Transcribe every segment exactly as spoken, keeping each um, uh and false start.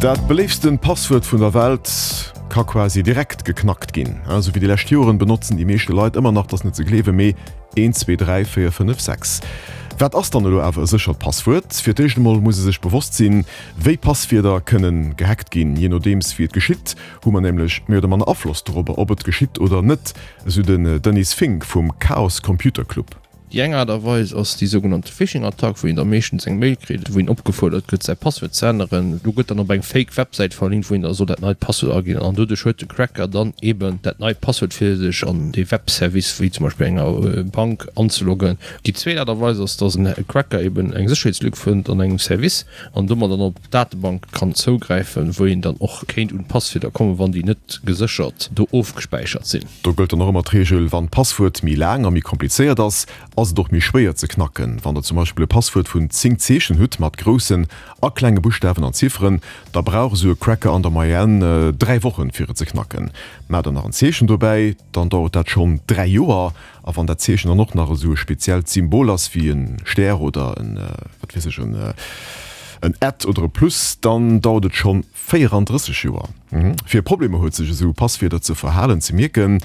Dat beléiftsten Passwuert vun der Welt ka quasi direkt geknackt ginn. Esou wéi déi lescht Joren benotzen déi meeschte Leit ëmmer nach, dat ass net ze gleewen, mee een, zwee, dräi, véier, fënnef, sechs. Wat ass dann elo awer e séchert Passwuert? Fir d'éischt emol muss ee sech bewosst sinn, wéi Passwierder kënnen gehackt ginn. Jee nodeems wéi et geschitt, hu mer nämlech méi oder manner Afloss dorobber, ob et geschitt oder net, esou den Denis Fink vum Chaos Computer Club. Déi eng Aart a Weis ass déi sougenannte Phishing-Attack, wou een da meeschtens eng Mail kritt, wou een opgefuerdert gëtt, säi Passwuert ze änneren. Do gëtt dann op eng fake Websäit verlinkt, wou een da soll dat neit Passwuert aginn. An doduerch huet de Cracker dann eben dat neit Passwuert, fir sech an dee Webservice, wéi zum Beispill enger Bank, anzeloggen. Déi zweet Aart a Weis ass, dass en Cracker eben eng Sécherheetslück fënnt an engem Service an domat dann op d'Datebank kann zougräifen, wou een dann och kéint un d'Passwierder kommen, wann déi net geséchert do ofgespäichert sinn. Do gëllt dann och ëmmer d'Reegel, Wann d'Passwuert méi laang a méi komplizéiert ass, ass et och méi schwéier ze knacken. Wann der zum Beispill e Passwuert vun zéng Zeechen hutt, mat groussen a klenge Buschtawen an Zifferen, da brauch esou e Cracker an der Moyenne dräi Wochen, fir et ze knacken. Maacht der nach en Zeechen dobäi, dann dauert dat schonn dräi Joer. A wann dat Zeechen dann och nach esou e speziellt Symbol ass, wéi e Stär oder en, wat weess ech, en At oder e Plus, dann dauert et schonn véierandrësseg Joer. Fir Problemer huet, sech esou Passwierder ze verhalen, ze mierken,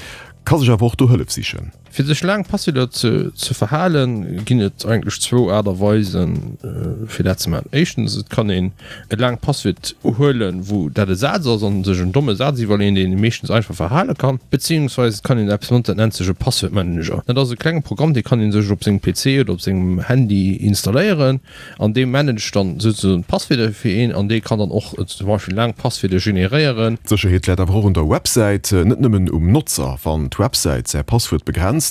ka sech awer och do Hëllef sichen. Fir sech laang Passwierder ze verhalen, ginn et eigentlech zwou Aart a Weisen, fir dat ze maachen. Éischtens, et kann een e laangt Passwuert huelen, wou dat e Saz ass, an sech en domme Saz iwwerleeën, deen ee meeschtens einfach verhale kann. Beziehungsweis et kann een eppes notzen, dat nennt sech e Passwuertmanager. Dat ass e klenge Programm, dee kann ee sech op sengem P C oder op sengem Handy installéieren, an dee managt dann souzesoen d'Passwierder fir een, an dee kann dann och zum Beispill laang Passwierder generéieren. D'Sécherheet läit awer och un der Websäit, net nëmmen um Notzer. Wann d'Websäit säi Passwuert begrenzt,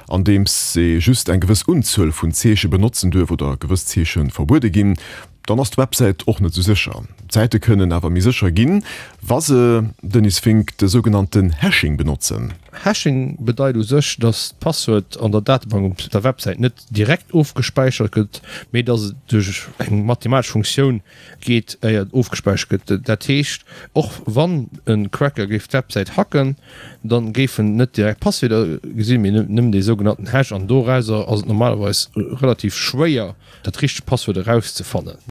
andeems ee just eng gewëss Unzuel vun Zeeche benotzen duerf oder gewëss Zeeche verbuede ginn, dann ass d'Websäit och net sou sécher. D'Säite kënnen awer méi sécher ginn, wa se, Denis Fink, de sougenannten Hashing benotzen. Hashing bedeit u sech, dass d'Passwuert an der Datebank op der Websäit net direkt ofgespäichert gëtt, mee dass et duerch eng mathematesch Funktioun geet, éier et ofgespäichert gëtt. Dat heescht, och wann e Cracker géif d'Websäit hacken, da géif en net direkt d'Passwierder gesinn, mee nëmmen dee sougenannten Hash, an dorauser ass et normalerweis relativ schwéier, dat richtegt Passwuert erauszefannen.